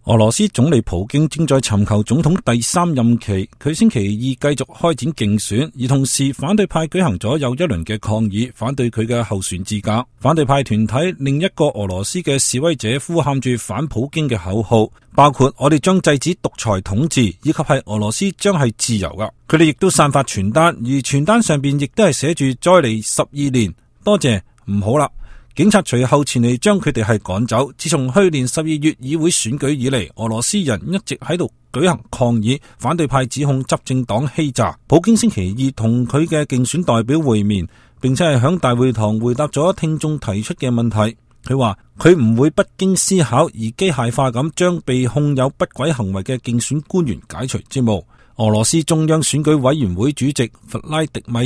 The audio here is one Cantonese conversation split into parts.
俄羅斯總理普京正在尋求總統第3任期，佢星期二繼續開展競選，而同時反對派舉行咗又一輪嘅抗議，反對佢嘅候選資格。反對派團體另一個俄羅斯嘅示威者呼喊住反普京嘅口號，包括我哋將制止獨裁統治，以及係俄羅斯將係自由噶。佢哋亦都散發傳單，而傳單上邊亦都係寫住再嚟12年，多謝，唔好啦。警察隨後前嚟將佢哋係趕走。自從去年12月議會選舉以嚟，俄羅斯人一直喺度舉行抗議，反對派指控執政黨欺詐。普京星期二同佢嘅競選代表會面，並且係響大會堂回答咗聽眾提出嘅問題。佢話佢唔會不經思考而機械化咁將被控有不軌行為嘅競選官員解除職務。俄羅斯中央選舉委員會主席弗拉迪米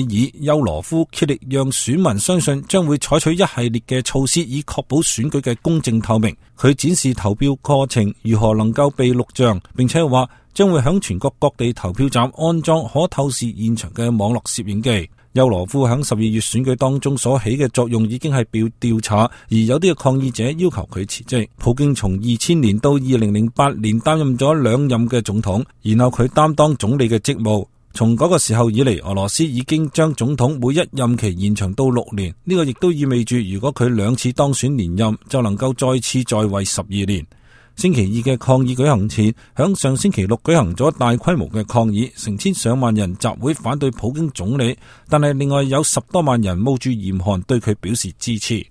爾丘羅夫竭力讓選民相信將會採取一系列嘅措施，以確保選舉嘅公正透明。佢展示投票過程如何能夠被錄像，並且話將會響全國各地投票站安裝可透視現場嘅網絡攝影機。丘羅夫響12月選舉當中所起嘅作用已經係被調查，而有啲嘅抗議者要求佢辭職。普京從2000年到2008年擔任咗2任嘅總統，然後佢擔當總理嘅職務。從嗰個時候以嚟，俄羅斯已經將總統每一任期延長到6年，呢個亦都意味住如果佢2次當選連任，就能夠再次在位12年。星期二嘅抗議舉行前，響上星期六舉行咗大規模嘅抗議，成千上萬人集會反對普京總理，但係另外有10多萬人冒住嚴寒對佢表示支持。